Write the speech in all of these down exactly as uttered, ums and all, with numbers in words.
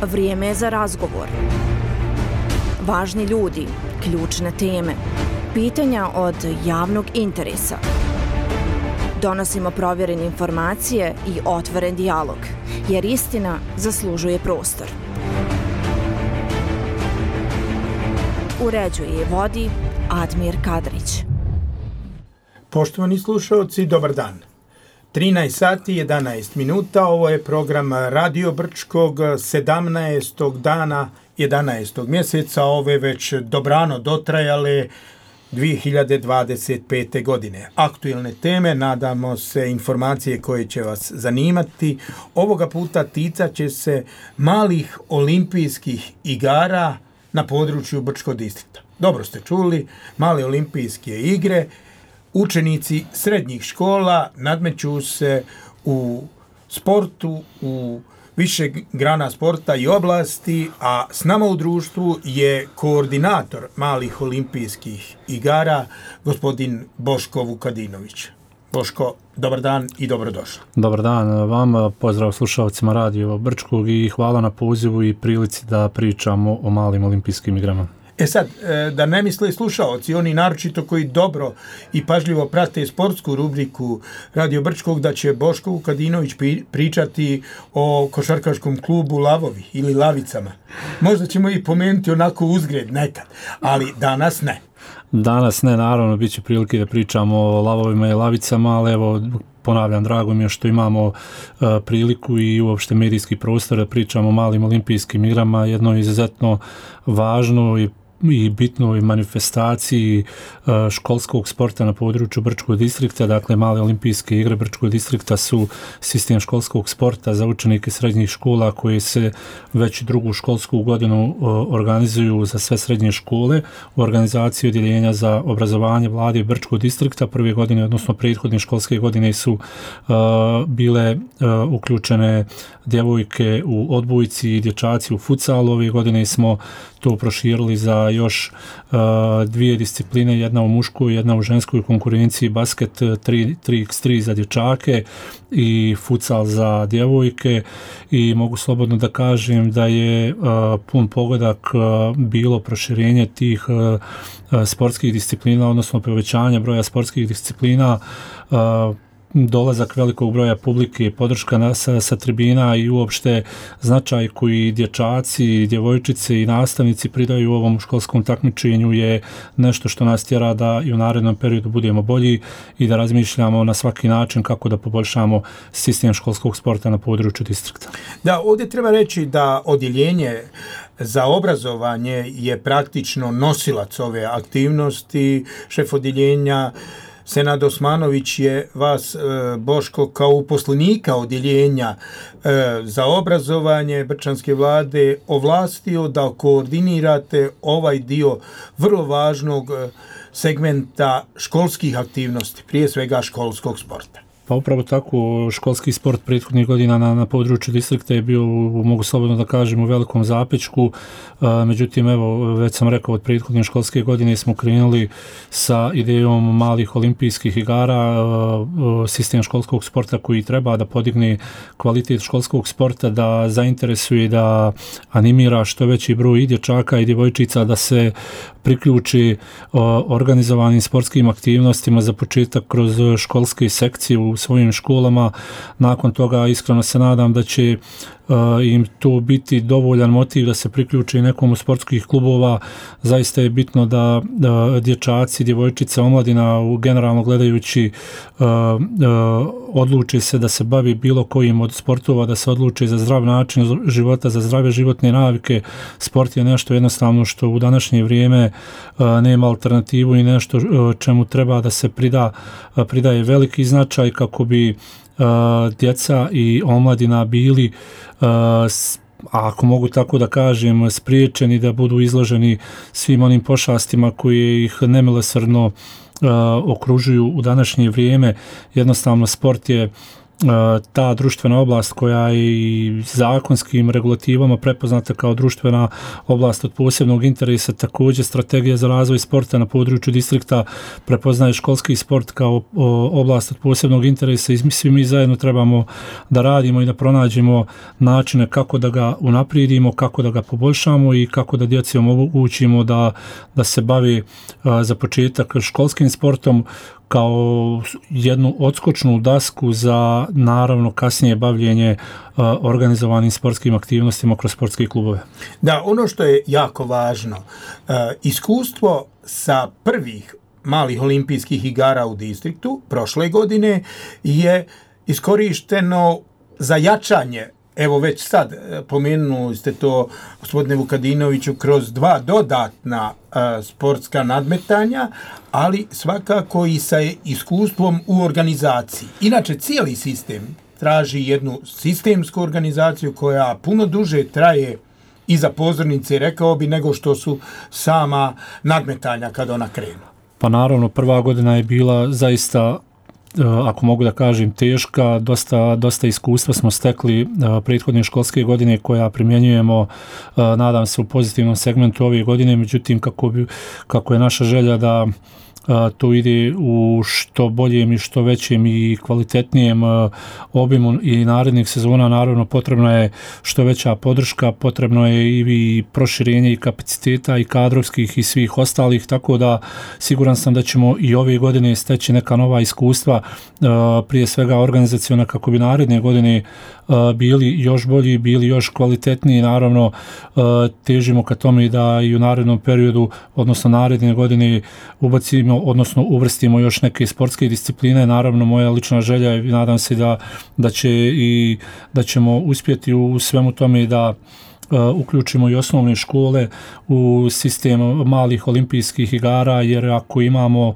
Vrijeme je za razgovor. Važni ljudi, ključne teme, pitanja od javnog interesa. Donosimo provjerene informacije i otvoren dijalog, jer istina zaslužuje prostor. Uređuje i vodi Admir Kadrić. Poštovani slušalci, dobar dan. trinaest sati jedanaest minuta, ovo je program Radio Brčkog sedamnaestog dana jedanaestog mjeseca, ove već dobrano dotrajale dvije hiljade dvadeset pete. godine. Aktuelne teme, nadamo se informacije koje će vas zanimati. Ovoga puta ticat će se malih olimpijskih igara na području Brčkog distrikta. Dobro ste čuli, male olimpijske igre. Učenici srednjih škola nadmeću se u sportu, u više grana sporta i oblasti, a s nama u društvu je koordinator malih olimpijskih igara, gospodin Boško Vukadinović. Boško, dobar dan i dobrodošli. Dobar dan vam, pozdrav slušalcima Radio Brčkog i hvala na pozivu i prilici da pričamo o malim olimpijskim igrama. E sad, da ne misle slušaoci, oni naročito koji dobro i pažljivo prate sportsku rubriku Radio Brčkog, da će Boško Vukadinović pričati o košarkaškom klubu Lavovi ili Lavicama. Možda ćemo i pomenuti onako uzgred nekad, ali danas ne. Danas ne, naravno, bit će prilike da pričamo o Lavovima i Lavicama, ali evo, ponavljam, drago mi je što imamo uh, priliku i uopšte medijski prostor da pričamo o malim olimpijskim igrama, jedno izuzetno važno i i bitnoj manifestaciji uh, školskog sporta na području Brčkog distrikta. Dakle, male olimpijske igre Brčkog distrikta su sistem školskog sporta za učenike srednjih škola koji se već drugu školsku godinu uh, organizuju za sve srednje škole u organizaciji odjeljenja za obrazovanje vlade Brčkog distrikta. Prve godine, odnosno prethodne školske godine su uh, bile uh, uključene djevojke u odbojci i dječaci u futsalu. Ove godine smo to proširili za još uh, dvije discipline, jedna u muškoj, jedna u ženskoj konkurenciji, basket tri by tri za dječake i futsal za djevojke, i mogu slobodno da kažem da je uh, pun pogodak uh, bilo proširenje tih uh, sportskih disciplina, odnosno povećanje broja sportskih disciplina, uh, dolazak velikog broja publike, podrška na, sa, sa tribina i uopšte značaj koji dječaci, djevojčice i nastavnici pridaju ovom školskom takmičenju je nešto što nas tjera da i u narednom periodu budemo bolji i da razmišljamo na svaki način kako da poboljšamo sistem školskog sporta na području distrikta. Da, ovdje treba reći da odjeljenje za obrazovanje je praktično nosilac ove aktivnosti. Šef odjeljenja Senad Osmanović je vas, Boško, kao uposlenika odjeljenja za obrazovanje Brčanske vlade ovlastio da koordinirate ovaj dio vrlo važnog segmenta školskih aktivnosti, prije svega školskog sporta. Pa upravo tako, školski sport prethodnih godina na, na području distrikta je bio, mogu slobodno da kažem, u velikom zapečku. A, međutim, evo, već sam rekao, od prethodne školske godine smo krenuli sa idejom malih olimpijskih igara, a, a, sistem školskog sporta koji treba da podigne kvalitet školskog sporta, da zainteresuje, da animira što veći broj i dječaka i djevojčica da se priključi a, organizovanim sportskim aktivnostima, za početak kroz školske sekcije u svojim školama. Nakon toga iskreno se nadam da će uh, im to biti dovoljan motiv da se priključi nekom od sportskih klubova. Zaista je bitno da, da dječaci, djevojčice, omladina generalno gledajući uh, uh, odluče se da se bavi bilo kojim od sportova, da se odluče za zdrav način života, za zdrave životne navike. Sport je nešto jednostavno što u današnje vrijeme uh, nema alternativu i nešto uh, čemu treba da se prida, uh, pridaje veliki značaj kako bi uh, djeca i omladina bili uh, s, a ako mogu tako da kažem, spriječeni da budu izloženi svim onim pošastima koje ih nemilosrdno uh, okružuju u današnje vrijeme. Jednostavno sport je ta društvena oblast koja je i zakonskim regulativama prepoznata kao društvena oblast od posebnog interesa, također strategija za razvoj sporta na području distrikta prepoznaje školski sport kao oblast od posebnog interesa i svi mi zajedno trebamo da radimo i da pronađemo načine kako da ga unaprijedimo, kako da ga poboljšamo i kako da djeci omogućimo da, da se bavi za početak školskim sportom kao jednu odskočnu dasku za naravno kasnije bavljenje uh, organizovanim sportskim aktivnostima kroz sportske klubove. Da, ono što je jako važno, uh, iskustvo sa prvih malih olimpijskih igara u distriktu prošle godine je iskorišteno za jačanje. Evo već sad pomenuli ste to, gospodine Vukadinoviću, kroz dva dodatna a, sportska nadmetanja, ali svakako i sa iskustvom u organizaciji. Inače, cijeli sistem traži jednu sistemsku organizaciju koja puno duže traje iza pozornice, rekao bi, nego što su sama nadmetanja kad ona krenu. Pa naravno, prva godina je bila zaista, ako mogu da kažem, teška, dosta, dosta iskustva smo stekli uh, prethodne školske godine koja primjenjujemo, uh, nadam se, u pozitivnom segmentu ove godine, međutim kako, bi, kako je naša želja da uh, to ide u što boljem i što većem i kvalitetnijem uh, obimu i narednih sezona, naravno potrebna je što veća podrška, potrebno je i, i proširenje i kapaciteta i kadrovskih i svih ostalih, tako da siguran sam da ćemo i ove godine steći neka nova iskustva, uh, prije svega organizaciona, kako bi naredne godine uh, bili još bolji, bili još kvalitetniji. Naravno uh, težimo ka tome da i u narednom periodu, odnosno naredne godine ubacimo, odnosno uvrstimo još neke sportske discipline. Naravno, moja lična želja je, nadam se da, da će i da ćemo uspjeti u svemu tome da Uh, uključimo i osnovne škole u sistem malih olimpijskih igara, jer ako imamo uh,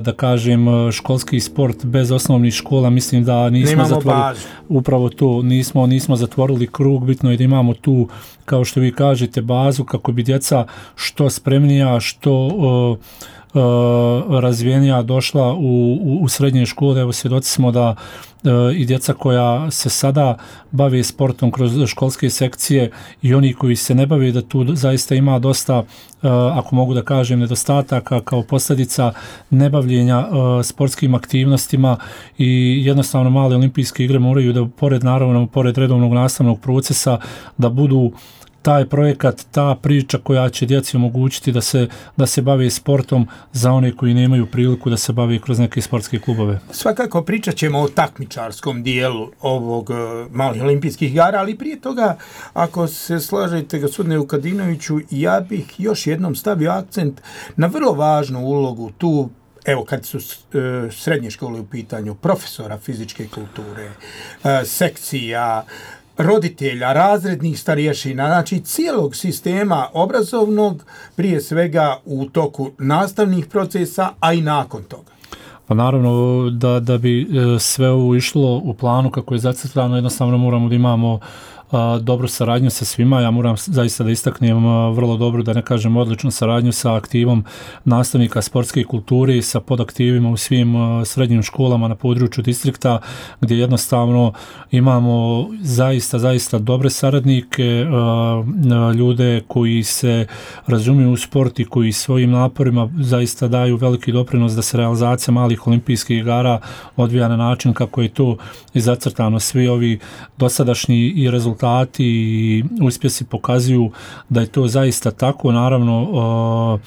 da kažem školski sport bez osnovnih škola, mislim da nismo zatvorili upravo to, nismo, nismo zatvorili krug. Bitno je da imamo tu, kao što vi kažete, bazu kako bi djeca što spremnija, što uh, Uh, razvijenija došla u, u, u srednje škole. Evo, svjedoci smo da uh, i djeca koja se sada bave sportom kroz školske sekcije i oni koji se ne bave, da tu zaista ima dosta, uh, ako mogu da kažem, nedostataka kao posljedica nebavljenja uh, sportskim aktivnostima i jednostavno male olimpijske igre moraju da pored, naravno, pored redovnog nastavnog procesa, da budu taj projekat, ta priča koja će djeci omogućiti da se, da se bave sportom za one koji nemaju priliku da se bave kroz neke sportske klubove. Svakako pričat ćemo o takmičarskom dijelu ovog uh, malih olimpijskih igara, ali prije toga, ako se slažete, gospodine Vukadinoviću, ja bih još jednom stavio akcent na vrlo važnu ulogu tu, evo, kad su uh, srednje škole u pitanju, profesora fizičke kulture, uh, sekcija, roditelja, razrednih starješina, znači cijelog sistema obrazovnog, prije svega u toku nastavnih procesa, a i nakon toga. Pa naravno, da, da bi sve ovo išlo u planu kako je zacrtano, jednostavno moramo da imamo a, dobru saradnju sa svima. Ja moram zaista da istaknem a, vrlo dobro, da ne kažem odličnu saradnju sa aktivom nastavnika sportske kulture i sa podaktivima u svim a, srednjim školama na području distrikta, gdje jednostavno imamo zaista, zaista dobre saradnike, a, a, ljude koji se razumiju u sport i koji svojim naporima zaista daju veliki doprinos da se realizacija malih olimpijskih igara odvija na način kako je to i zacrtano. Svi ovi dosadašnji i rezultati i uspjesi pokazuju da je to zaista tako. Naravno, uh,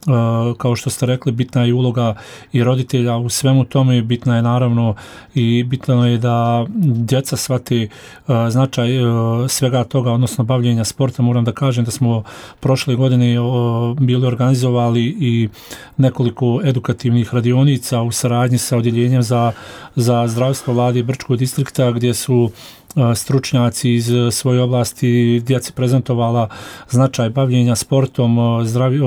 uh, kao što ste rekli, bitna je uloga i roditelja u svemu tome, bitna je naravno i bitno je da djeca shvate uh, značaj uh, svega toga, odnosno bavljenja sporta. Moram da kažem da smo prošle godine uh, bili organizovali i nekoliko edukativnih radionica u saradnji sa odjeljenjem za, za zdravstvo vlade Brčkog distrikta, gdje su stručnjaci iz svoje oblasti djeci prezentovala značaj bavljenja sportom, zdravi,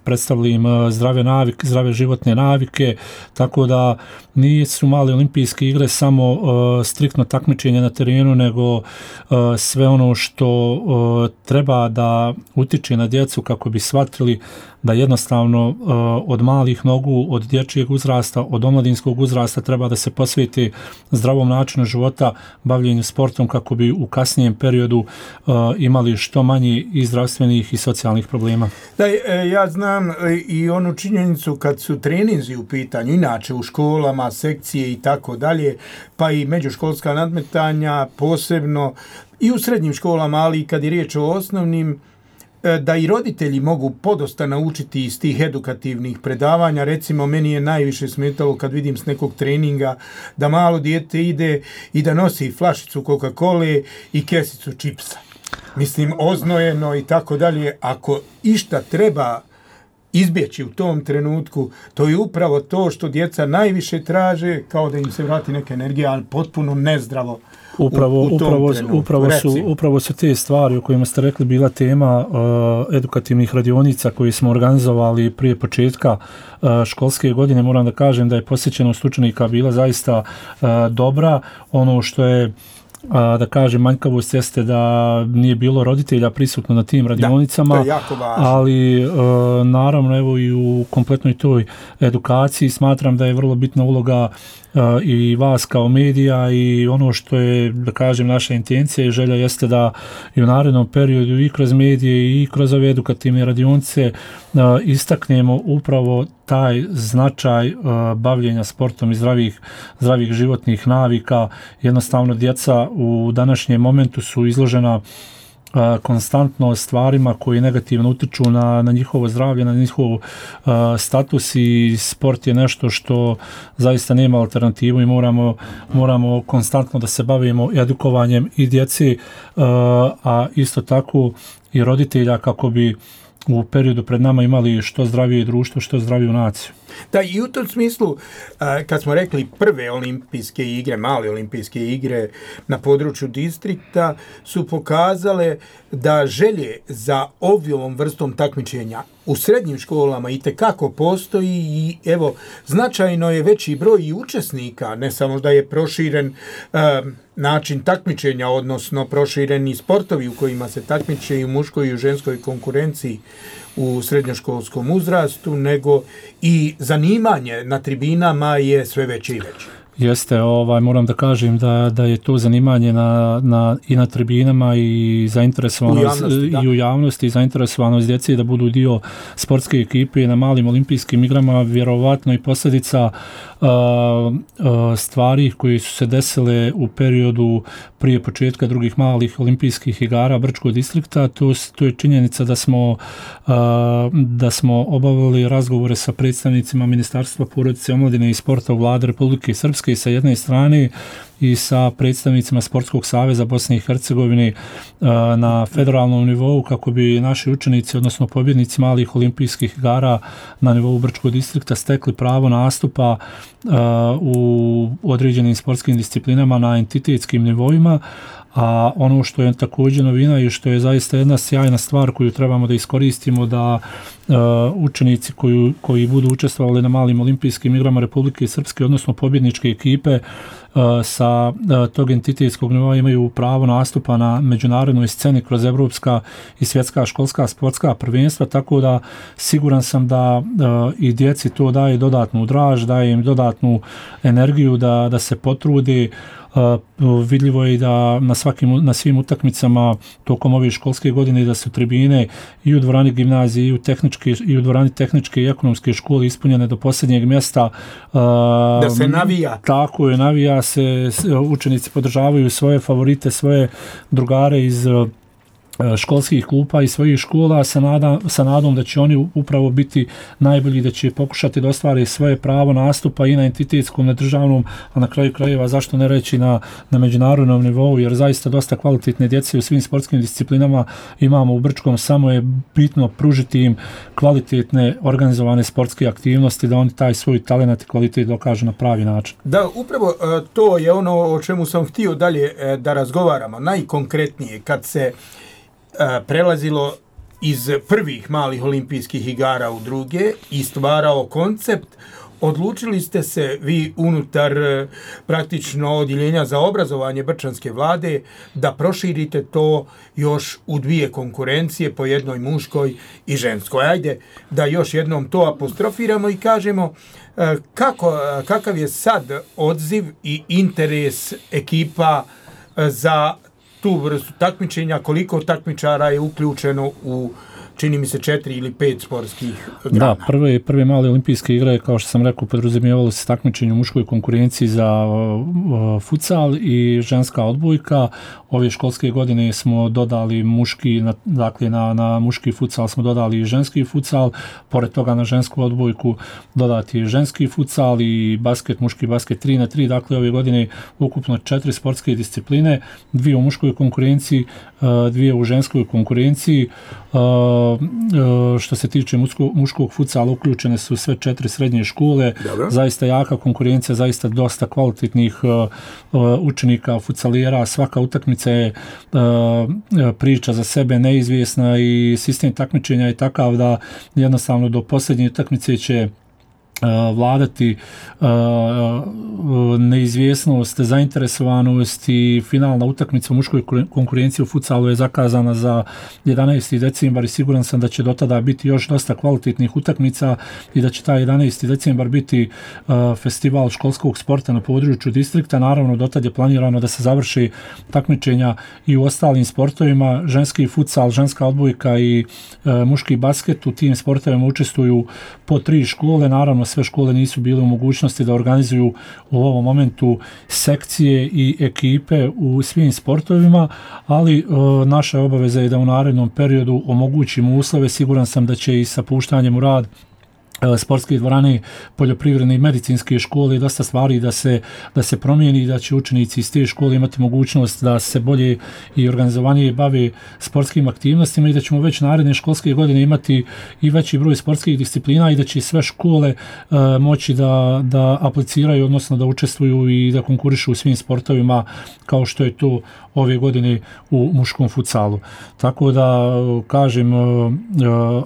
predstavili im zdrave navike, zdrave životne navike, tako da nisu male olimpijske igre samo uh, striktno takmičenje na terenu, nego uh, sve ono što uh, treba da utiče na djecu kako bi shvatili da jednostavno uh, od malih nogu, od dječjeg uzrasta, od omladinskog uzrasta treba da se posveti zdravom načinu života, bavljenju sportom kako bi u kasnijem periodu uh, imali što manji i zdravstvenih i socijalnih problema. Da, ja znam i onu činjenicu kad su treninzi u pitanju, inače u školama, sekcije i tako dalje, pa i međuškolska nadmetanja, posebno i u srednjim školama, ali i kad je riječ o osnovnim, da i roditelji mogu podosta naučiti iz tih edukativnih predavanja. Recimo, meni je najviše smetalo kad vidim s nekog treninga da malo dijete ide i da nosi flašicu Coca-Cole i kesicu čipsa. Mislim, oznojeno i tako dalje. Ako išta treba izbjeći u tom trenutku, to je upravo to što djeca najviše traže, kao da im se vrati neka energija, ali potpuno nezdravo. Upravo, u, u upravo, upravo, su, upravo su te stvari o kojima ste rekli bila tema uh, edukativnih radionica koje smo organizovali prije početka uh, školske godine. Moram da kažem da je posjećenost učenika bila zaista uh, dobra. Ono što je A, da kažem, manjkavost jeste da nije bilo roditelja prisutno na tim radionicama, da, to je jako važno. Ali e, naravno evo i u kompletnoj toj edukaciji smatram da je vrlo bitna uloga e, i vas kao medija i ono što je, da kažem, naša intencija i želja jeste da i u narednom periodu i kroz medije i kroz ove edukativne radionice e, istaknemo upravo taj značaj uh, bavljenja sportom i zdravih, zdravih životnih navika. Jednostavno djeca u današnjem momentu su izložena uh, konstantno stvarima koji negativno utiču na, na njihovo zdravlje, na njihov uh, status i sport je nešto što zaista nema alternativu i moramo, moramo konstantno da se bavimo edukovanjem i djeci, uh, a isto tako i roditelja kako bi u periodu pred nama imali što zdravije društvo, što zdraviju naciju. Da, i u tom smislu, kad smo rekli prve olimpijske igre, male olimpijske igre na području distrikta, su pokazale da želje za ovom vrstom takmičenja u srednjim školama itekako postoji i evo, značajno je veći broj i učesnika, ne samo da je proširen um, način takmičenja, odnosno prošireni sportovi u kojima se takmiče i u muškoj i u ženskoj konkurenciji u srednjoškolskom uzrastu, nego i zanimanje na tribinama je sve veće i veće. Jeste, ovaj, moram da kažem da, da je to zanimanje na, na, i na tribinama i zainteresovanost u javnosti, i u javnosti i zainteresovanost djece da budu dio sportske ekipe na malim olimpijskim igrama, vjerovatno i posljedica uh, uh, stvari koje su se desile u periodu prije početka drugih malih olimpijskih igara Brčkog distrikta. To, to je činjenica da smo, uh, da smo obavili razgovore sa predstavnicima Ministarstva porodice, omladine i sporta u Vlade Republike Srpske sa jedne strane i sa predstavnicima Sportskog saveza Bosne i Hercegovine na federalnom nivou kako bi naši učenici, odnosno pobjednici malih olimpijskih igara na nivou Brčkog distrikta stekli pravo nastupa u određenim sportskim disciplinama na entitetskim nivoima. A ono što je također novina i što je zaista jedna sjajna stvar koju trebamo da iskoristimo, da uh, učenici koji, koji budu učestvovali na malim olimpijskim igrama Republike Srpske, odnosno pobjedničke ekipe uh, sa uh, tog entitetskog nivoa imaju pravo nastupa na međunarodnoj sceni kroz evropska i svjetska školska sportska prvenstva, tako da siguran sam da uh, i djeci to daje dodatnu draž, daje im dodatnu energiju da, da se potrude. Uh, vidljivo je da na, svakim, na svim utakmicama tokom ove školske godine da su tribine i u dvorani gimnazije i u, tehničke, i u dvorani tehničke i ekonomske škole ispunjene do posljednjeg mjesta. Uh, da se navija. Tako je, navija se, učenici podržavaju svoje favorite, svoje drugare iz školskih klupa i svojih škola sa, nada, sa nadom da će oni upravo biti najbolji, da će pokušati da ostvare svoje pravo nastupa i na entitetskom, na državnom, a na kraju krajeva zašto ne reći na, na međunarodnom nivou, jer zaista dosta kvalitetne djece u svim sportskim disciplinama imamo u Brčkom, samo je bitno pružiti im kvalitetne organizovane sportske aktivnosti da oni taj svoj talent i kvalitet dokažu na pravi način. Da, upravo to je ono o čemu sam htio dalje da razgovaramo, najkonkretnije kad se prelazilo iz prvih malih olimpijskih igara u druge i stvarao koncept, odlučili ste se vi unutar praktično odjeljenja za obrazovanje Brčanske vlade da proširite to još u dvije konkurencije, po jednoj muškoj i ženskoj. Ajde da još jednom to apostrofiramo i kažemo kako, kakav je sad odziv i interes ekipa za tu vrstu takmičenja, koliko takmičara je uključeno u, čini mi se, četiri ili pet sportskih grana. Da, prve, prve male olimpijske igre, kao što sam rekao, podrazumijevalo se takmičenje u muškoj konkurenciji za uh, futsal i ženska odbojka. Ove školske godine smo dodali muški, na, dakle na, na muški futsal smo dodali i ženski futsal, pored toga na žensku odbojku dodati ženski futsal i basket, muški basket tri na tri, dakle ove godine ukupno četiri sportske discipline, dvije u muškoj konkurenciji, uh, dvije u ženskoj konkurenciji. Uh, što se tiče muško, muškog futsala uključene su sve četiri srednje škole. Dobro. Zaista jaka konkurencija, zaista dosta kvalitetnih uh, učenika futsalijera, svaka utakmica je uh, priča za sebe neizvjesna i sistem takmičenja je takav da jednostavno do posljednje utakmice će vladati uh, neizvjesnost, zainteresovanost i finalna utakmica u muškoj konkurenciji u futsalu je zakazana za jedanaesti decembar i siguran sam da će do tada biti još dosta kvalitetnih utakmica i da će taj jedanaesti decembar biti uh, festival školskog sporta na području distrikta. Naravno, do tada je planirano da se završi takmičenja i u ostalim sportovima. Ženski futsal, ženska odbojka i uh, muški basket, u tim sportovima učestvuju po tri škole. Naravno, sve škole nisu bile u mogućnosti da organizuju u ovom momentu sekcije i ekipe u svim sportovima, ali e, naša obaveza je da u narednom periodu omogućimo uslove. Siguran sam da će i sa puštanjem u rad sportske dvorane, poljoprivredne i medicinske škole, dosta stvari da se, da se promijeni i da će učenici iz te škole imati mogućnost da se bolje i organizovanije bave sportskim aktivnostima i da ćemo već naredne školske godine imati i veći broj sportskih disciplina i da će sve škole uh, moći da, da apliciraju, odnosno da učestvuju i da konkurišu u svim sportovima kao što je to ove godine u muškom futsalu. Tako da, kažem,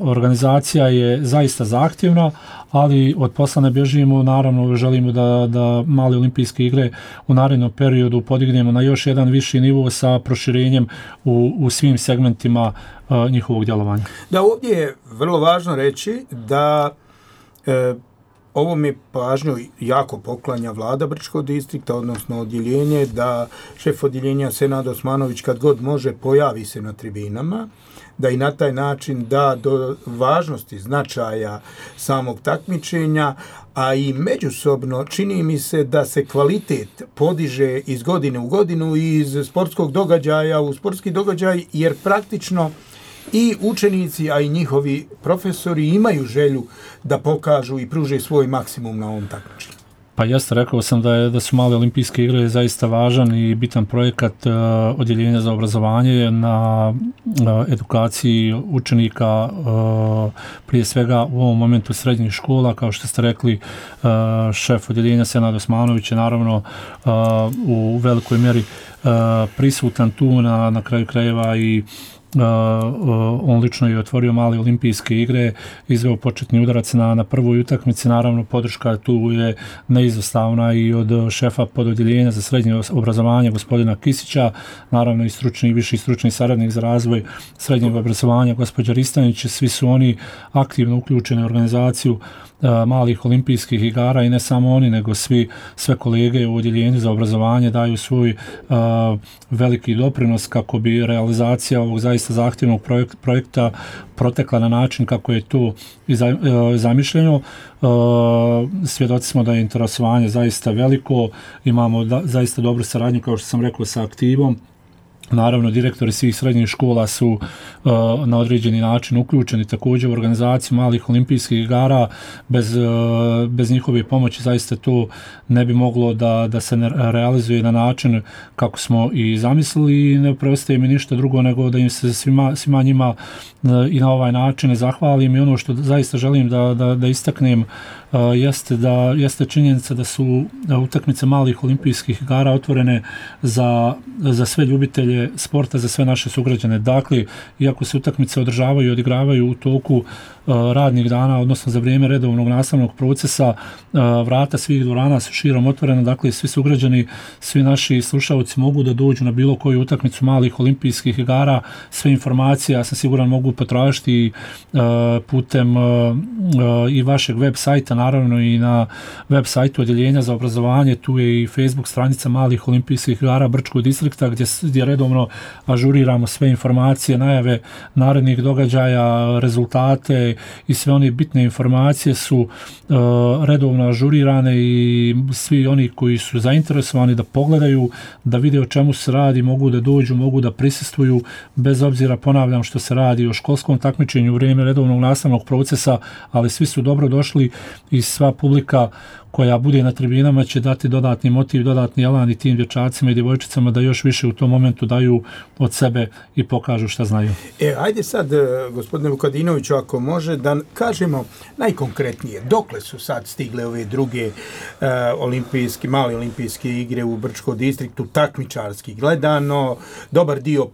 organizacija je zaista zahtjevna, ali od posla ne bježimo, naravno želimo da, da male olimpijske igre u narednom periodu podignemo na još jedan viši nivo sa proširenjem u, u svim segmentima uh, njihovog djelovanja. Da, ovdje je vrlo važno reći da e, ovo mi pažnju jako poklanja vlada Brčkog distrikta, odnosno odjeljenje, da šef odjeljenja Senad Osmanović kad god može pojavi se na tribinama, da i na taj način da do važnosti značaja samog takmičenja, a i međusobno čini mi se da se kvalitet podiže iz godine u godinu i iz sportskog događaja u sportski događaj, jer praktično i učenici, a i njihovi profesori imaju želju da pokažu i pruže svoj maksimum na ovom takmičenju. Pa jeste, rekao sam da, je, da su male olimpijske igre zaista važan i bitan projekat uh, odjeljenja za obrazovanje na uh, edukaciji učenika, uh, prije svega u ovom momentu srednjih škola, kao što ste rekli, uh, šef odjeljenja Senad Osmanović je naravno uh, u velikoj mjeri uh, prisutan tu, na, na kraju krajeva i Uh, uh, on lično je otvorio male olimpijske igre, izveo početni udarac na, na prvoj utakmici, naravno podrška tu je neizostavna i od šefa pododjeljenja za srednje obrazovanje gospodina Kisića, naravno i stručni i viši stručni saradnik za razvoj srednjeg obrazovanja gospođa Ristanić, svi su oni aktivno uključeni u organizaciju uh, malih olimpijskih igara i ne samo oni, nego svi, sve kolege u odjeljenju za obrazovanje daju svoj uh, veliki doprinos kako bi realizacija ovog zaista zahtjevnog projekta protekla na način kako je to i zamišljeno. Svjedoci smo da je interesovanje zaista veliko, imamo da, zaista dobru saradnju, kao što sam rekao, sa aktivom Naravno, direktori svih srednjih škola su uh, na određeni način uključeni također u organizaciju malih olimpijskih igara. Bez, uh, bez njihove pomoći zaista to ne bi moglo da, da se ne realizuje na način kako smo i zamislili i ne preostaje mi ništa drugo nego da im se svima, svima njima uh, i na ovaj način zahvalim. I ono što zaista želim da, da, da istaknem uh, jeste, da, jeste činjenica da su utakmice malih olimpijskih igara otvorene za, za sve ljubitelje sporta, za sve naše sugrađane. Dakle, iako se utakmice održavaju i odigravaju u toku uh, radnih dana, odnosno za vrijeme redovnog nastavnog procesa, uh, vrata svih dvorana su širom otvorena, dakle svi sugrađani, svi naši slušalci mogu da dođu na bilo koju utakmicu malih olimpijskih igara. Sve informacije, ja sam siguran, mogu potražiti uh, putem uh, uh, i vašeg web sajta, naravno i na web sajtu Odjeljenja za obrazovanje. Tu je i Facebook stranica malih olimpijskih igara Brčkog distrikta gdje, gdje redovno ažuriramo sve informacije, najave narednih događaja, rezultate i sve one bitne informacije su uh, redovno ažurirane i svi oni koji su zainteresovani da pogledaju, da vide o čemu se radi, mogu da dođu, mogu da prisustvuju, bez obzira, ponavljam, što se radi o školskom takmičenju u vrijeme redovnog nastavnog procesa, ali svi su dobro došli i sva publika koja bude na tribinama će dati dodatni motiv, dodatni elan i tim dječacima i djevojčicama da još više u tom momentu daju od sebe i pokažu šta znaju. E, ajde sad, gospodine Vukadinoviću, ako može, da kažemo najkonkretnije, dokle su sad stigle ove druge uh, olimpijske, male olimpijske igre u Brčkom distriktu, takmičarski gledano, dobar dio uh,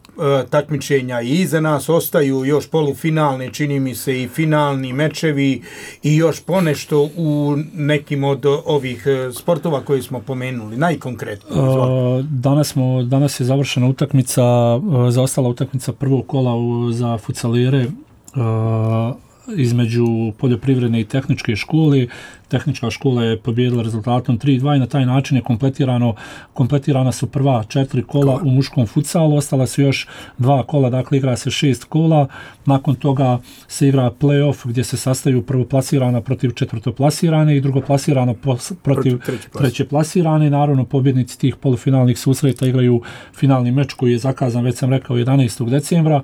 takmičenja i iza nas, ostaju još polufinalne, čini mi se, i finalni mečevi i još ponešto u nekim od ovih sportova koje smo pomenuli, najkonkretnije. Uh, danas, smo, danas je završena utakmica, uh, zaostala utakmica prvog kola u, za futsalere uh, između poljoprivredne i tehničke škole. Tehnička škola je pobijedila rezultatom tri dva i na taj način je kompletirano, kompletirana su prva četiri kola u muškom futsalu, ostala su još dva kola, dakle igra se šest kola, nakon toga se igra play-off gdje se sastaju prvoplasirana protiv četvrtoplasirane i drugoplasirana protiv treće plasirane. Naravno, pobjednici tih polufinalnih susreta igraju finalni meč koji je zakazan, već sam rekao, jedanaestog decembra.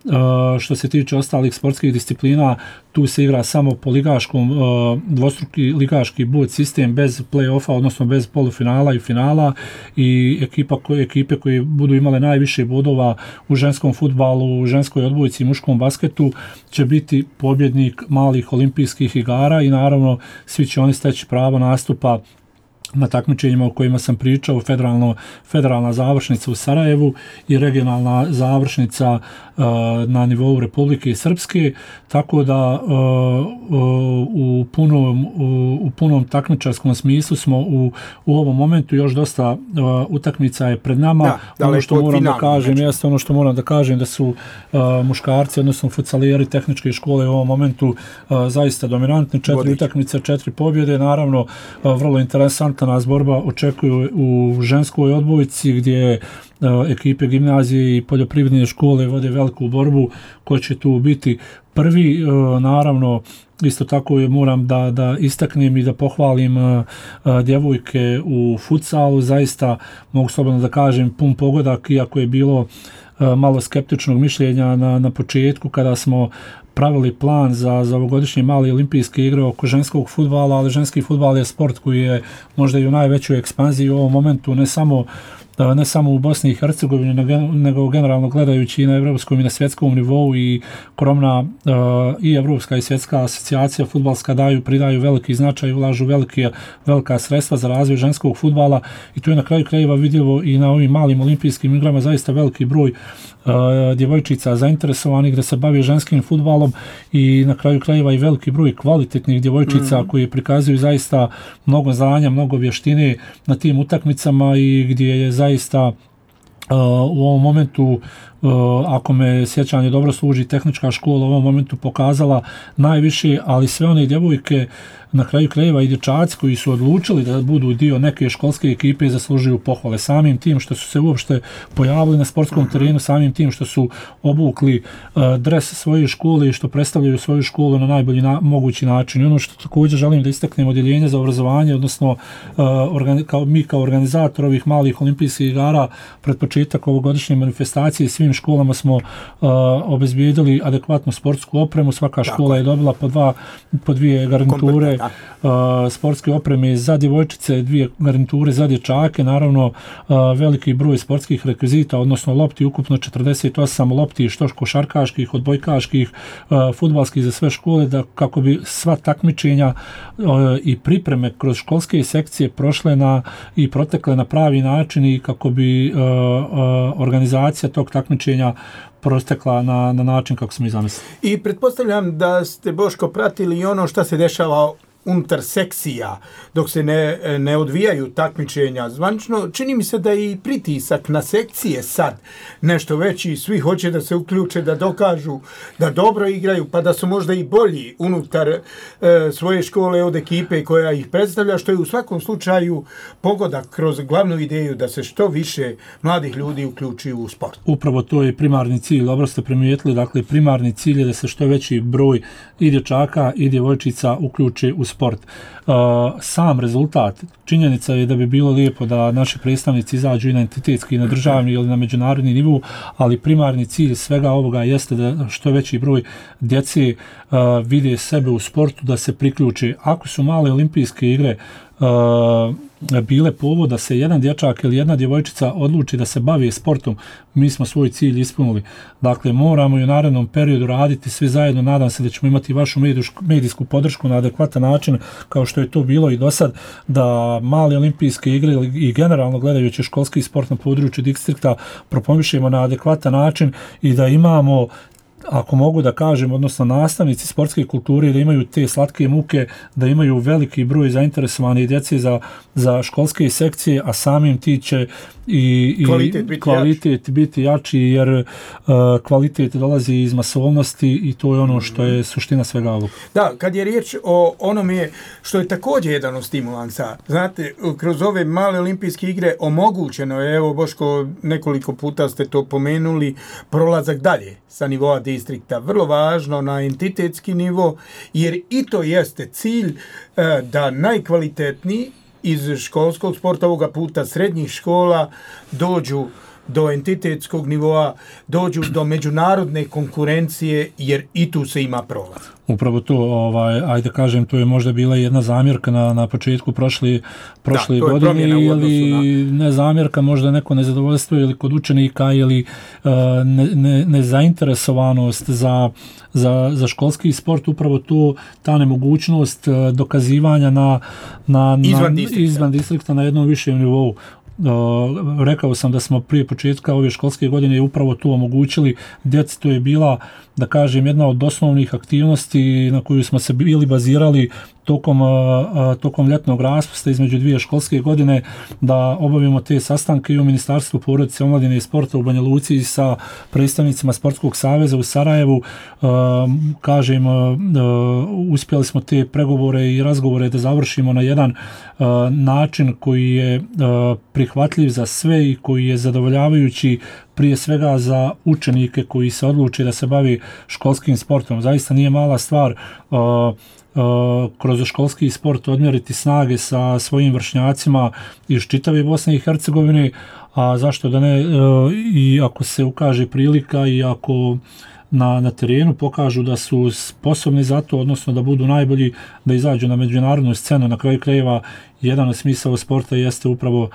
Uh, što se tiče ostalih sportskih disciplina, tu se igra samo po ligaškom, uh, dvostruki ligaški bod sistem bez play-offa, odnosno bez polufinala i finala, i ekipa koje, ekipe koje budu imale najviše bodova u ženskom fudbalu, u ženskoj odbojci i muškom basketu će biti pobjednik malih olimpijskih igara i naravno svi će oni steći pravo nastupa na takmičenjima o kojima sam pričao, federalno, federalna završnica u Sarajevu i regionalna završnica uh, na nivou Republike Srpske, tako da uh, uh, u, punom, u, u punom takmičarskom smislu smo u, u ovom momentu, još dosta uh, utakmica je pred nama. Da, ono što moram da kažem, jeste ono što moram da kažem da su uh, muškarci, odnosno futsalijeri tehničke škole u ovom momentu uh, zaista dominantni, četiri Vodić. utakmice, četiri pobjede, naravno uh, vrlo interesantna nas borba očekuje u ženskoj odbojci gdje uh, ekipe gimnazije i poljoprivredne škole vode veliku borbu ko će tu biti prvi. Uh, naravno, isto tako je, moram da, da istaknem i da pohvalim uh, uh, djevojke u futsalu, zaista mogu slobodno da kažem pun pogodak, iako je bilo uh, malo skeptičnog mišljenja na, na početku kada smo pravili plan za, za ovogodišnje male olimpijske igre oko ženskog fudbala, ali ženski fudbal je sport koji je možda i u najvećoj ekspanziji u ovom momentu, ne samo ne samo u Bosni i Hercegovini, nego generalno gledajući i na evropskom i na svjetskom nivou, i Kromna i evropska i svjetska asocijacija fudbalska daju, pridaju veliki značaj, ulažu velike, velika sredstva za razvoj ženskog fudbala, i to je na kraju krajeva vidljivo i na ovim malim olimpijskim igrama, zaista veliki broj uh, djevojčica zainteresovanih da se bave ženskim fudbalom, i na kraju krajeva i veliki broj kvalitetnih djevojčica mm-hmm. koji prikazuju zaista mnogo znanja, mnogo vještine na tim utakmicama, i gdje je zaista uh, u ovom momentu, uh, ako me sjećanje dobro služi, tehnička škola u ovom momentu pokazala najviše, ali sve one djevojke na kraju krajeva i dječaci koji su odlučili da budu dio neke školske ekipe zaslužuju pohvale samim tim što su se uopšte pojavili na sportskom terenu, samim tim što su obukli uh, dres svoje škole i što predstavljaju svoju školu na najbolji na, mogući način. I ono što također želim da istaknem, odjeljenje za obrazovanje, odnosno uh, organi, kao, mi kao organizator ovih malih olimpijskih igara pred početak ovogodišnje manifestacije svim školama smo uh, obezbijedili adekvatnu sportsku opremu, svaka škola je dobila po, dva, po dvije garniture uh, sportske opreme za djevojčice, dvije garniture za dječake, naravno uh, veliki broj sportskih rekvizita, odnosno lopti, ukupno četrdeset osam lopti, što košarkaških, odbojkaških, uh, fudbalskih za sve škole, da kako bi sva takmičenja uh, i pripreme kroz školske sekcije prošle na i protekle na pravi način i kako bi uh, uh, organizacija tog takmičenja prostekla na, na način kako smo i zamislili. I pretpostavljam da ste, Boško, pratili i ono što se dešava unutar sekcija, dok se ne, ne odvijaju takmičenja zvančno. Čini mi se da je i pritisak na sekcije sad nešto veći, svi hoće da se uključe, da dokažu da dobro igraju, pa da su možda i bolji unutar e, svoje škole od ekipe koja ih predstavlja, što je u svakom slučaju pogodak kroz glavnu ideju da se što više mladih ljudi uključuju u sport. Upravo to je primarni cilj, dobro ste primijetili, dakle primarni cilj je da se što veći broj i dječaka i djevojčica uključe u sport. Uh, sam rezultat, činjenica je da bi bilo lijepo da naši predstavnici izađu i na entitetski, i na državni ili na međunarodni nivou, ali primarni cilj svega ovoga jeste da što veći broj djece uh, vide sebe u sportu, da se priključe. Ako su male olimpijske igre uh, bile povod da se jedan dječak ili jedna djevojčica odluči da se bavi sportom, mi smo svoj cilj ispunili. Dakle, moramo i u narednom periodu raditi svi zajedno. Nadam se da ćemo imati vašu medijsku podršku na adekvatan način, kao što je to bilo i do sad, da male olimpijske igre i generalno gledajući školski sport na području distrikta propomišemo na adekvatan način i da imamo, ako mogu da kažem, odnosno nastavnici sportske kulture, da imaju te slatke muke, da imaju veliki broj zainteresovanih djece za, za školske sekcije, a samim ti će i, i kvalitet, biti, kvalitet jači. biti jači, jer uh, kvalitet dolazi iz masovnosti i to je ono što je suština svega ovog. Da, kad je riječ o onome što je također jedan od stimulansa, znate, kroz ove male olimpijske igre omogućeno je, evo Boško, nekoliko puta ste to pomenuli, prolazak dalje sa nivoa distrikta. Vrlo važno na entitetski nivo, jer i to jeste cilj da najkvalitetniji iz školskog sporta, ovoga puta srednjih škola, dođu do entitetskog nivoa, dođu do međunarodne konkurencije, jer i tu se ima prolaz. Upravo to, ovaj, ajde kažem, to je možda bila jedna zamjerka na, na početku prošli, prošle da, godine, ili na... ne zamjerka, možda neko nezadovoljstvo ili kod učenika, ili uh, ne, ne, nezainteresovanost za, za, za školski sport, upravo to, ta nemogućnost uh, dokazivanja na, na, izvan, na, distrikta. izvan distrikta na jednom višem nivou. Uh, rekao sam da smo prije početka ove školske godine upravo to omogućili djeci. To je bila, da kažem, jedna od osnovnih aktivnosti na koju smo se bili bazirali tokom, uh, tokom ljetnog raspusta između dvije školske godine, da obavimo te sastanke i u Ministarstvu porodice, omladine i sporta u Banja Luci sa predstavnicima Sportskog saveza u Sarajevu. Uh, kažem, uh, uspjeli smo te pregovore i razgovore da završimo na jedan uh, način koji je uh, prihvatljiv za sve i koji je zadovoljavajući prije svega za učenike koji se odluče da se bavi školskim sportom. Zaista nije mala stvar uh, Uh, kroz školski sport odmjeriti snage sa svojim vršnjacima iz čitave Bosne i Hercegovine, a zašto da ne, uh, i ako se ukaže prilika i ako na, na terenu pokažu da su sposobni za to, odnosno da budu najbolji, da izađu na međunarodnu scenu. Na kraju krajeva jedan od smisao sporta jeste upravo uh,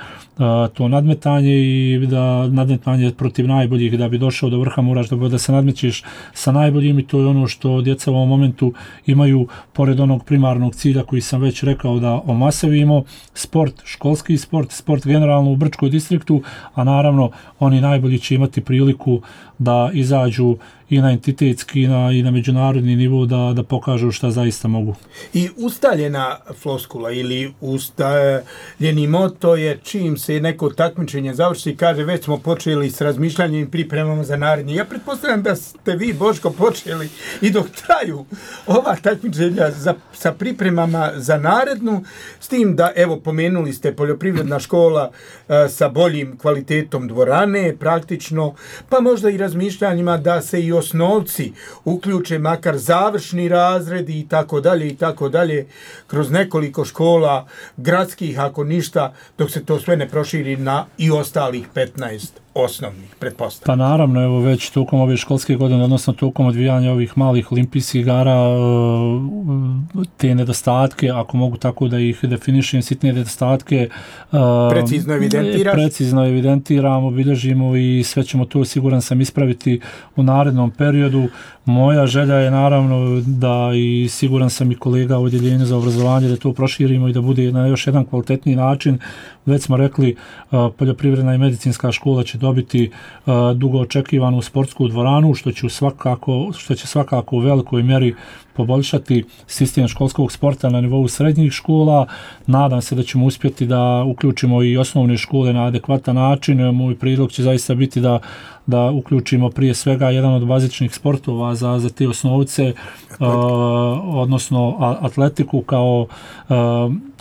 to nadmetanje i da nadmetanje protiv najboljih, da bi došao do vrha moraš da, da se nadmećeš sa najboljim, i to je ono što djeca u ovom momentu imaju, pored onog primarnog cilja koji sam već rekao, da omasovimo sport, školski sport, sport generalno u Brčkoj distriktu, a naravno oni najbolji će imati priliku da izađu i na entitetski i na, i na međunarodni nivo, da, da pokažu šta zaista mogu. I ustaljena floskula ili ust postavljeni moto je čim se neko takmičenje završi, kaže već smo počeli s razmišljanjem i pripremama za naredni. Ja pretpostavljam da ste vi, Boško, počeli i dok traju ova takmičenja za, sa pripremama za narednu, s tim da, evo, pomenuli ste poljoprivredna škola a, sa boljim kvalitetom dvorane, praktično, pa možda i razmišljanjima da se i osnovci uključe, makar završni razredi i tako dalje i tako dalje, kroz nekoliko škola gradskih, ako ništa, dok se to sve ne proširi na i ostalih petnaest osnovnih, pretpostavljam. Pa naravno, evo već tokom ove školske godine, odnosno tokom odvijanja ovih malih olimpijskih igara, te nedostatke, ako mogu tako da ih definišem, sitne nedostatke, precizno evidentiraš? Precizno evidentiramo, obilježimo i sve ćemo to, siguran sam, ispraviti u narednom periodu. Moja želja je naravno da, i siguran sam i kolega u odjeljenju za obrazovanje, da to proširimo i da bude na još jedan kvalitetniji način. Već smo rekli, poljoprivredna i medicinska škola će dobiti dugo očekivanu sportsku dvoranu, što će svakako, što će svakako u velikoj mjeri poboljšati sistem školskog sporta na nivou srednjih škola. Nadam se da ćemo uspjeti da uključimo i osnovne škole na adekvatan način. Moj prijedlog će zaista biti da da uključimo prije svega jedan od bazičnih sportova za, za te osnovce, uh, odnosno atletiku kao uh,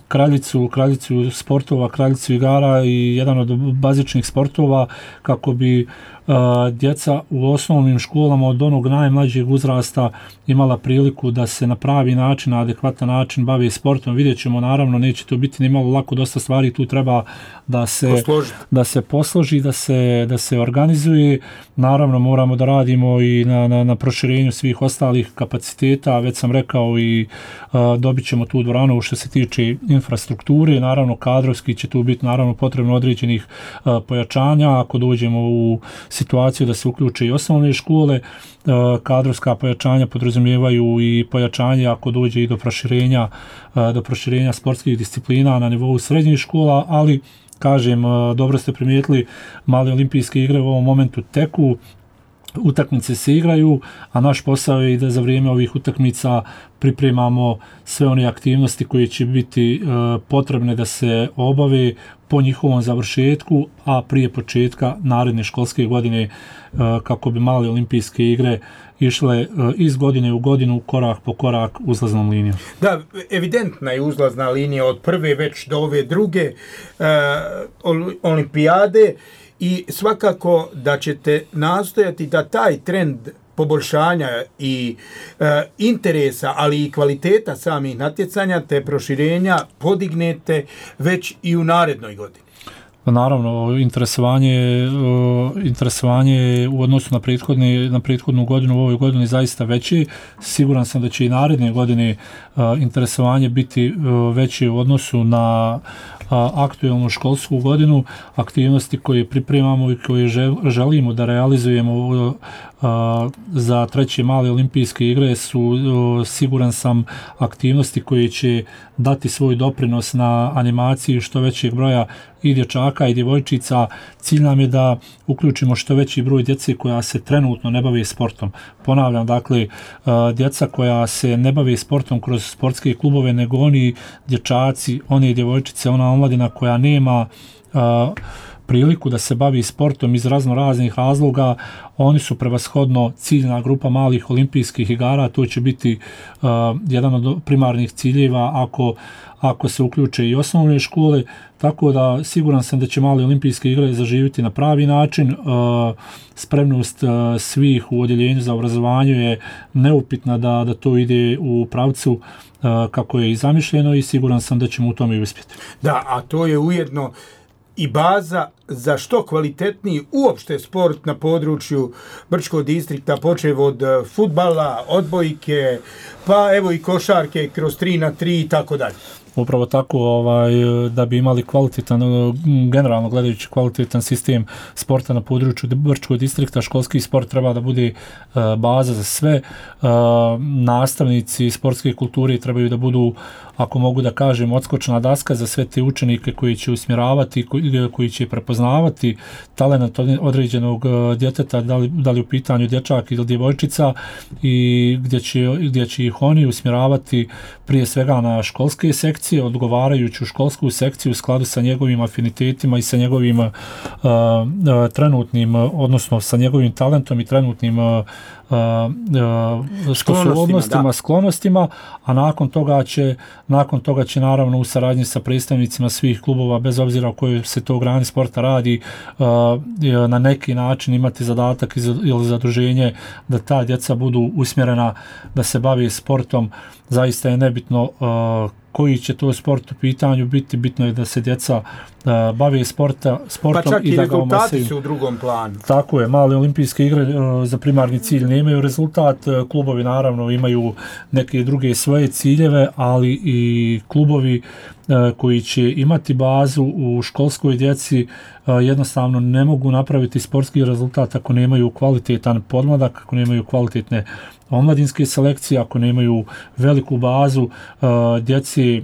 kraljicu, kraljicu sportova, kraljicu igara i jedan od bazičnih sportova kako bi uh, djeca u osnovnim školama od onog najmlađeg uzrasta imala priliku da se na pravi način, na adekvatan način bavi sportom. Vidjet ćemo, naravno, neće to biti ni malo lako, dosta stvari tu treba da se posloži, da se, posloži, da se, da se organizuje. Naravno, moramo da radimo i na, na, na proširenju svih ostalih kapaciteta. Već sam rekao i uh, dobit ćemo tu dvoranu što se tiče infrastrukture. Naravno, kadrovski će tu biti naravno potrebno određenih uh, pojačanja. Ako dođemo u situaciju da se uključe i osnovne škole, uh, kadrovska pojačanja podrazumijevaju i pojačanje ako dođe i do proširenja, uh, do proširenja sportskih disciplina na nivou srednjih škola, ali kažem, dobro ste primijetili, male olimpijske igre u ovom momentu teku, utakmice se igraju, a naš posao je i da za vrijeme ovih utakmica pripremamo sve one aktivnosti koje će biti uh, potrebne da se obave po njihovom završetku, a prije početka naredne školske godine uh, kako bi male olimpijske igre išle uh, iz godine u godinu, korak po korak uzlaznom linijom. Da, evidentna je uzlazna linija od prve već do ove druge uh, olimpijade i svakako da ćete nastojati da taj trend poboljšanja i e, interesa, ali i kvaliteta samih natjecanja te proširenja podignete već i u narednoj godini. Naravno, interesovanje, interesovanje u odnosu na, prethodni, na prethodnu godinu u ovoj godini zaista veći. Siguran sam da će i naredne godine interesovanje biti veće u odnosu na aktuelnu školsku godinu. Aktivnosti koje pripremamo i koje želimo da realizujemo za treće male olimpijske igre su, siguran sam, aktivnosti koje će dati svoj doprinos na animaciji što većeg broja i dječaka i djevojčica. Cilj nam je da uključimo što veći broj djece koja se trenutno ne bave sportom. Ponavljam, dakle, djeca koja se ne bave sportom kroz sportske klubove, nego oni dječaci, one djevojčice, ona omladina koja nema priliku da se bavi sportom iz razno raznih razloga, oni su prevashodno ciljna grupa malih olimpijskih igara. To će biti uh, jedan od primarnih ciljeva ako, ako se uključe i osnovne škole, tako da siguran sam da će male olimpijske igre zaživiti na pravi način. Uh, spremnost uh, svih u odjeljenju za obrazovanje je neupitna da, da to ide u pravcu uh, kako je i zamišljeno i siguran sam da ćemo u tome uspjeti. Da, a to je ujedno i baza za što kvalitetniji uopšte sport na području Brčkog distrikta, počev od fudbala, odbojke, pa evo i košarke kroz tri na tri i tako dalje. Upravo tako, ovaj, da bi imali kvalitetan, generalno gledajući kvalitetan sistem sporta na području Brčkog distrikta, školski sport treba da bude uh, baza za sve. Uh, nastavnici sportske kulture trebaju da budu, ako mogu da kažem, odskočna daska za sve te učenike koji će usmjeravati, koji, koji će prepoznavati talent određenog djeteta, da li, da li u pitanju dječak ili djevojčica, i gdje će, gdje će ih oni usmjeravati prije svega na školske sekcije, sekcije, odgovarajuću školsku sekciju u skladu sa njegovim afinitetima i sa njegovim uh, uh, trenutnim, odnosno sa njegovim talentom i trenutnim uh, uh, sposobnostima, sklonostima, a nakon toga će nakon toga će naravno u saradnji sa predstavnicima svih klubova, bez obzira o kojoj se to grani sporta radi, uh, na neki način imati zadatak ili zaduženje da ta djeca budu usmjerena da se bavi sportom. Zaista je nebitno uh, koji će to sport u pitanju biti, bitno je da se djeca uh, bave sporta, sportom pa čak i, i da ga rezultati omasaju. Su u drugom planu. Tako je, male olimpijske igre uh, za primarni cilj nemaju rezultat, uh, klubovi naravno imaju neke druge svoje ciljeve, ali i klubovi uh, koji će imati bazu u školskoj djeci uh, jednostavno ne mogu napraviti sportski rezultat ako nemaju kvalitetan podmladak, ako nemaju kvalitetne omladinske selekcije, ako nemaju veliku bazu uh, djeci, uh,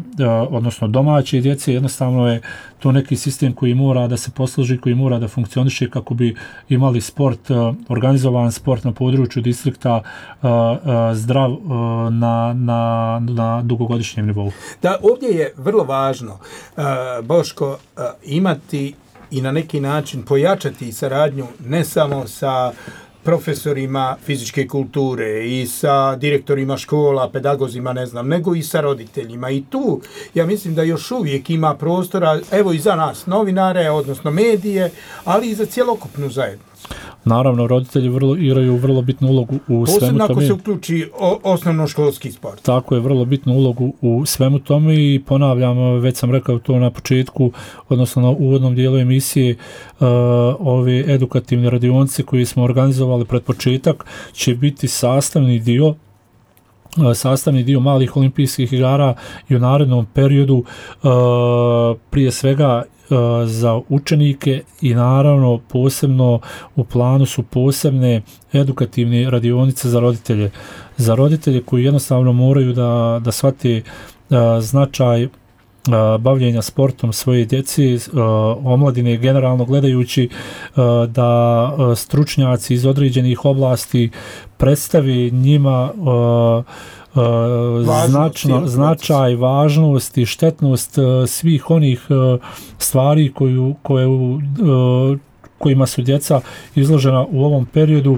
odnosno domaće djece, jednostavno je to neki sistem koji mora da se posluži, koji mora da funkcioniše kako bi imali sport, uh, organizovan sport na području distrikta uh, uh, zdrav uh, na, na, na dugogodišnjem nivou. Da, ovdje je vrlo važno, uh, Boško, uh, imati i na neki način pojačati saradnju ne samo sa profesorima fizičke kulture i sa direktorima škola, pedagozima, ne znam, nego i sa roditeljima. I tu ja mislim da još uvijek ima prostora, evo i za nas, novinare, odnosno medije, ali i za cjelokupnu zajednicu. Naravno, roditelji vrlo, igraju vrlo bitnu ulogu u Posebno svemu tome. Posebno ako se uključi o, osnovno školski sport. Tako je, vrlo bitnu ulogu u svemu tome i ponavljam, već sam rekao to na početku, odnosno na uvodnom dijelu emisije, uh, ove edukativne radionice koje smo organizovali pred početak će biti sastavni dio sastavni dio malih olimpijskih igara i u narednom periodu uh, prije svega uh, za učenike i naravno posebno u planu su posebne edukativne radionice za roditelje. Za roditelje koji jednostavno moraju da, da shvate uh, značaj bavljenja sportom svoje djeci, omladine generalno gledajući, da stručnjaci iz određenih oblasti predstavi njima značno, značaj, važnost i štetnost svih onih stvari koju, koje, kojima su djeca izložena u ovom periodu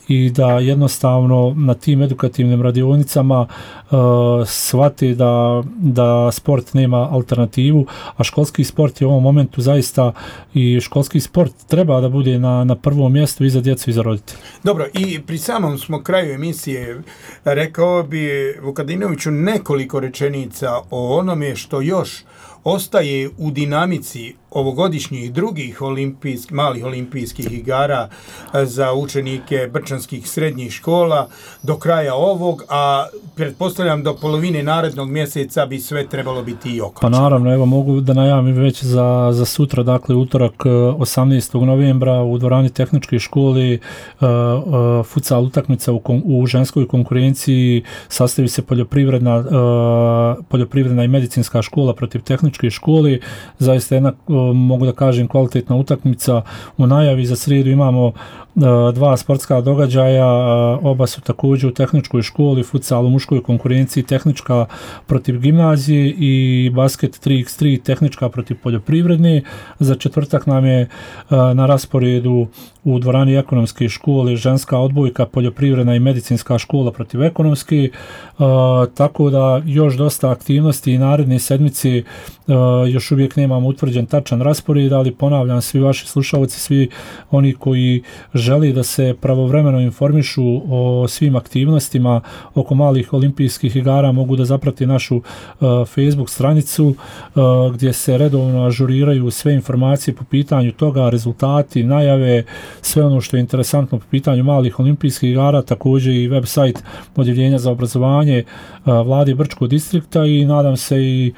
i da jednostavno na tim edukativnim radionicama uh, shvati da, da sport nema alternativu, a školski sport je u ovom momentu zaista i školski sport treba da bude na, na prvom mjestu i za djecu i za roditelje. Dobro, i pri samom smo kraju emisije rekao bi Vukadinoviću nekoliko rečenica o onome što još ostaje u dinamici ovogodišnjih drugih olimpijsk, malih olimpijskih igara za učenike brčanskih srednjih škola do kraja ovog, a pretpostavljam do polovine narednog mjeseca bi sve trebalo biti i okončano. Pa naravno, evo mogu da najavim već za, za sutra, dakle utorak osamnaestog novembra u dvorani tehničke škole uh, uh, futsal utakmica u, u ženskoj konkurenciji, sastavi se poljoprivredna, uh, poljoprivredna i medicinska škola protiv tehničke škole, zaista jedna uh, mogu da kažem kvalitetna utakmica. U najavi za srijedu imamo uh, dva sportska događaja, uh, oba su također u tehničkoj školi, futsal u muškoj konkurenciji, tehnička protiv gimnazije i basket tri iks tri, tehnička protiv poljoprivredne. Za četvrtak nam je uh, na rasporedu u dvorani ekonomske škole ženska odbojka, poljoprivredna i medicinska škola protiv ekonomske, uh, tako da još dosta aktivnosti i naredne sedmice uh, još uvijek nemamo utvrđen tačan raspored, ali ponavljam, svi vaši slušalci, svi oni koji želi da se pravovremeno informišu o svim aktivnostima oko malih olimpijskih igara mogu da zaprati našu uh, Facebook stranicu uh, gdje se redovno ažuriraju sve informacije po pitanju toga, rezultati, najave, sve ono što je interesantno po pitanju malih olimpijskih igara, također i website Odjeljenja za obrazovanje uh, Vlade Brčkog distrikta i nadam se i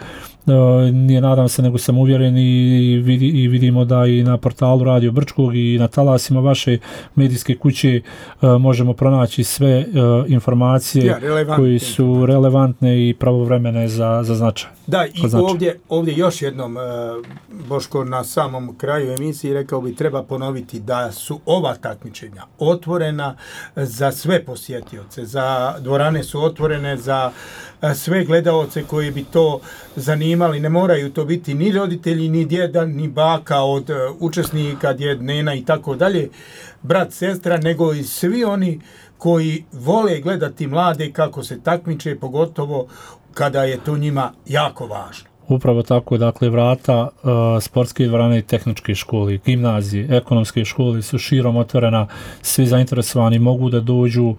nije nadam se nego sam uvjeren i, vidi, i vidimo da i na portalu Radio Brčkog i na talasima vaše medijske kuće možemo pronaći sve informacije ja, koje su relevantne i pravovremene za, za značaj. Da, i znači. ovdje, ovdje još jednom, Boško, na samom kraju emisiji rekao bi treba ponoviti da su ova takmičenja otvorena za sve posjetioce, za dvorane su otvorene za sve gledaoce koji bi to zanimali. Ne moraju to biti ni roditelji, ni djeda, ni baka od učesnika, djed, nena i tako dalje, brat, sestra, nego i svi oni koji vole gledati mlade kako se takmiče, pogotovo kada je to njima jako važno. Upravo tako, dakle, vrata uh, sportske dvorane i tehničke škole, gimnazije, ekonomske škole su širom otvorena, svi zainteresovani mogu da dođu. Uh,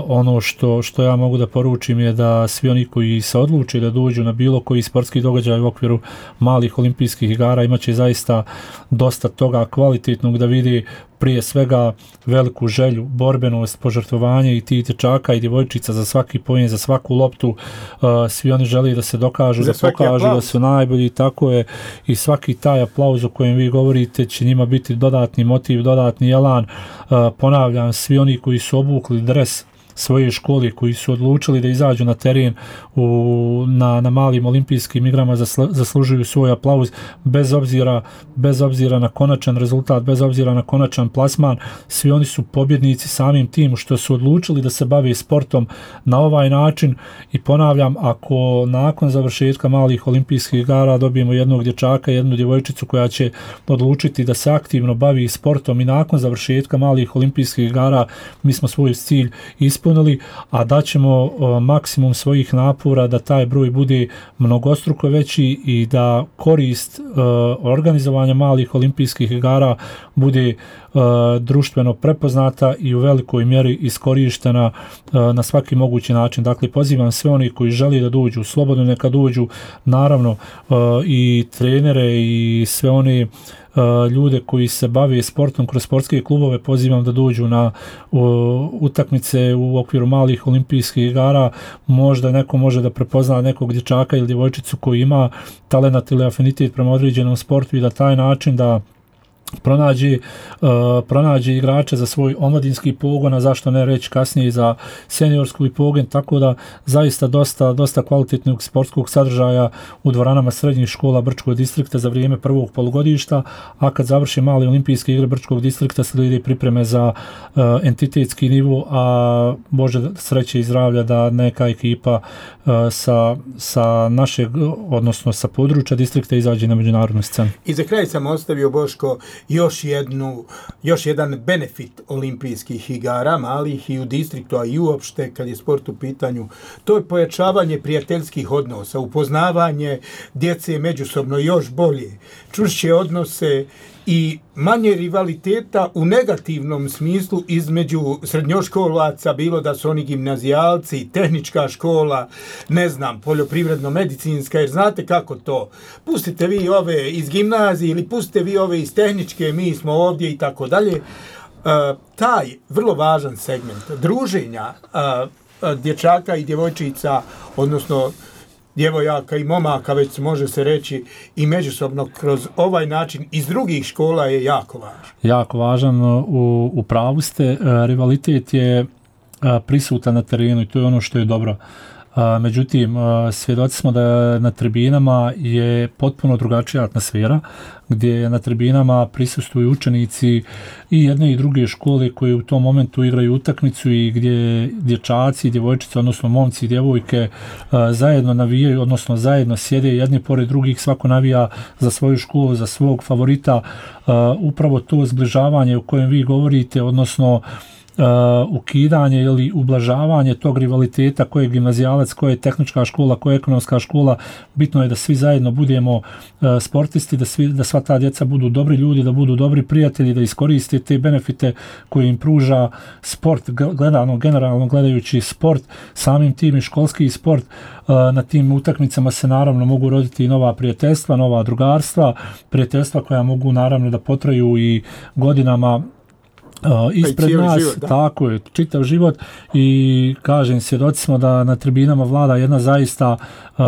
ono što, što ja mogu da poručim je da svi oni koji se odluče da dođu na bilo koji sportski događaj u okviru malih olimpijskih igara imaće zaista dosta toga kvalitetnog da vidi, prije svega veliku želju, borbenost, požrtvovanje i tih dječaka i djevojčica za svaki poen, za svaku loptu. Uh, svi oni žele da se dokažu, za da pokažu aplauz. Da su najbolji, tako je, i svaki taj aplauz o kojem vi govorite će njima biti dodatni motiv, dodatni elan. Uh, ponavljam, svi oni koji su obukli dres svoje škole, koji su odlučili da izađu na teren u, na, na malim olimpijskim igrama, zasl, zaslužuju svoj aplauz bez obzira, bez obzira na konačan rezultat, bez obzira na konačan plasman. Svi oni su pobjednici samim tim što su odlučili da se bave sportom na ovaj način. I ponavljam, ako nakon završetka malih olimpijskih igara dobijemo jednog dječaka, jednu djevojčicu koja će odlučiti da se aktivno bavi sportom i nakon završetka malih olimpijskih igara, mi smo svoj cilj ispunili, a daćemo uh, maksimum svojih napora da taj broj bude mnogostruko veći i da korist uh, organizovanja malih olimpijskih igara bude uh, društveno prepoznata i u velikoj mjeri iskorištena uh, na svaki mogući način. Dakle, pozivam sve oni koji žele da dođu, slobodno neka dođu, naravno uh, i trenere i sve one Uh, ljude koji se bave sportom kroz sportske klubove pozivam da dođu na uh, utakmice u okviru malih olimpijskih igara. Možda neko može da prepozna nekog dječaka ili djevojčicu koji ima talenat ili afinitet prema određenom sportu i da taj način da pronađe, uh, pronađe igrače za svoj omladinski pogon, a zašto ne reći kasnije za seniorski pogon, tako da zaista dosta, dosta kvalitetnog sportskog sadržaja u dvoranama srednjih škola Brčkog distrikta za vrijeme prvog polugodišta, a kad završi male olimpijske igre Brčkog distrikta slijede pripreme za uh, entitetski nivo, a Bože sreće i zdravlja da neka ekipa uh, sa, sa našeg, odnosno sa područja distrikta izađe na međunarodnu scenu. I za kraj sam ostavio, Boško, još jednu, još jedan benefit olimpijskih igara, malih i u distriktu, a i uopšte kad je sport u pitanju, to je pojačavanje prijateljskih odnosa, upoznavanje djece međusobno još bolje, čvršće odnose i manje rivaliteta u negativnom smislu između srednjoškolaca, bilo da su oni gimnazijalci, tehnička škola, ne znam, poljoprivredno-medicinska, jer znate kako to. Pustite vi ove iz gimnazije ili pustite vi ove iz tehničke, mi smo ovdje i tako dalje. Taj vrlo važan segment druženja uh, dječaka i djevojčica, odnosno djevojaka i momaka, već može se reći i međusobno kroz ovaj način iz drugih škola je jako važan. Jako važan, u, u pravu ste, rivalitet je prisutan na terenu i to je ono što je dobro. Međutim, svjedoci smo da na tribinama je potpuno drugačija atmosfera, gdje na tribinama prisustvuju učenici i jedne i druge škole koje u tom momentu igraju utakmicu i gdje dječaci i djevojčice, odnosno momci i djevojke zajedno navijaju, odnosno zajedno sjede jedni pored drugih, svako navija za svoju školu, za svog favorita. Upravo to zbližavanje o kojem vi govorite, odnosno Uh, ukidanje ili ublažavanje tog rivaliteta, koje je gimnazijalac, koje je tehnička škola, koje je ekonomska škola, bitno je da svi zajedno budemo uh, sportisti, da, svi, da sva ta djeca budu dobri ljudi, da budu dobri prijatelji, da iskoriste te benefite koje im pruža sport, gledano, generalno gledajući sport, samim tim i školski sport. Uh, na tim utakmicama se naravno mogu roditi i nova prijateljstva, nova drugarstva, prijateljstva koja mogu naravno da potraju i godinama Uh, ispred nas, život, tako je, čitav život i kažem, svjedoci smo da na tribinama vlada jedna zaista uh,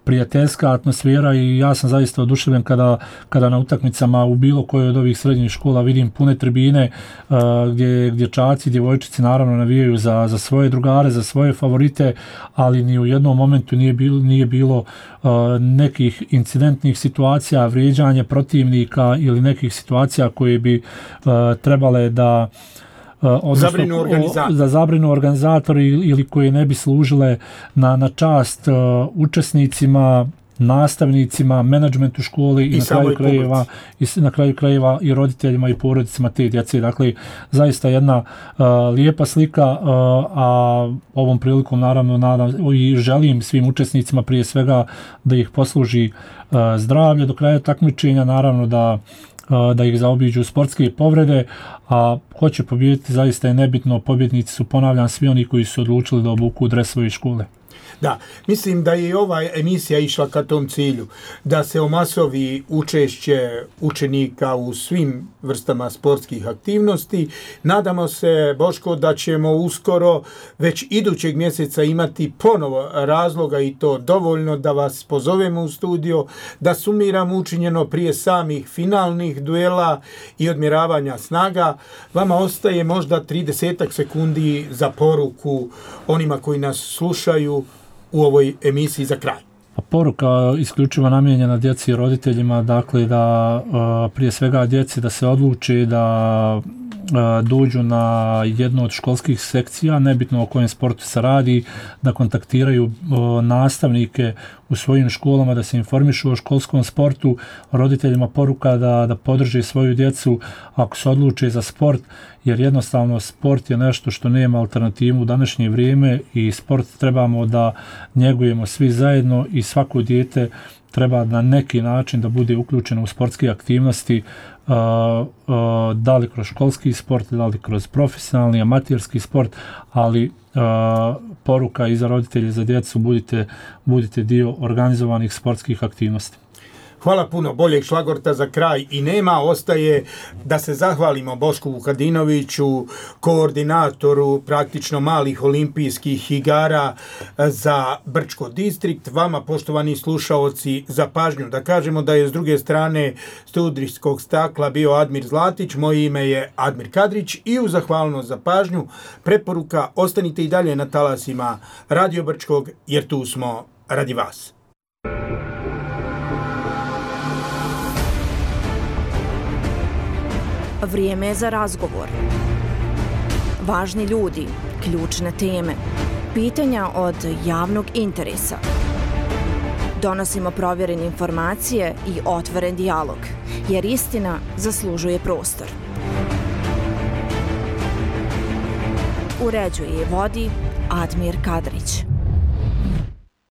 prijateljska atmosfera i ja sam zaista oduševljen kada, kada na utakmicama u bilo kojoj od ovih srednjih škola vidim pune tribine uh, gdje dječaci i djevojčice naravno navijaju za, za svoje drugare, za svoje favorite, ali ni u jednom momentu nije bilo, nije bilo uh, nekih incidentnih situacija, vrijeđanja protivnika ili nekih situacija koje bi uh, trebale da odnosno, zabrinu organizator. da zabrinu organizatori ili koji ne bi služile na, na čast uh, učesnicima, nastavnicima, menadžmentu školi i, i na kraju krajeva i na kraju krajeva i roditeljima i porodicama te djece. Dakle, zaista jedna uh, lijepa slika, uh, a ovom prilikom naravno nadam i želim svim učesnicima prije svega da ih posluži uh, zdravlje do kraja takmičenja, naravno da da ih zaobiđu sportske povrede, a ko će pobijediti zaista je nebitno, pobjednici su, ponavljam, svi oni koji su odlučili da obuku dres svoje škole. Da, mislim da je ova emisija išla ka tom cilju, da se omasovi učešće učenika u svim vrstama sportskih aktivnosti. Nadamo se, Boško, da ćemo uskoro, već idućeg mjeseca, imati ponovo razloga i to dovoljno da vas pozovemo u studio, da sumiramo učinjeno prije samih finalnih duela i odmjeravanja snaga. Vama ostaje možda trideset sekundi za poruku onima koji nas slušaju u ovoj emisiji za kraj. Poruka isključivo namijenjena djeci i roditeljima, dakle da prije svega djeci da se odluči da dođu na jednu od školskih sekcija, nebitno o kojem sportu se radi, da kontaktiraju nastavnike u svojim školama, da se informišu o školskom sportu, roditeljima poruka da, da podrže svoju djecu ako se odluče za sport, jer jednostavno sport je nešto što nema alternativu u današnje vrijeme i sport trebamo da njegujemo svi zajedno i svako dijete treba na neki način da bude uključeno u sportske aktivnosti, uh, uh, da li kroz školski sport, da li kroz profesionalni, amaterski sport, ali uh, poruka i za roditelje i za djecu, budite, budite dio organizovanih sportskih aktivnosti. Hvala puno, boljeg šlagorta za kraj i nema, ostaje da se zahvalimo Bošku Vukadinoviću, koordinatoru praktično malih olimpijskih igara za Brčko distrikt. Vama, poštovani slušaoci, za pažnju. Da kažemo da je s druge strane studijskog stakla bio Admir Zlatić, moje ime je Admir Kadrić i u zahvalnost za pažnju preporuka ostanite i dalje na talasima Radio Brčkog jer tu smo radi vas. Vrijeme je za razgovor. Važni ljudi, ključne teme, pitanja od javnog interesa. Donosimo provjerene informacije i otvoren dijalog, jer istina zaslužuje prostor. Uređuje i vodi Admir Kadrić.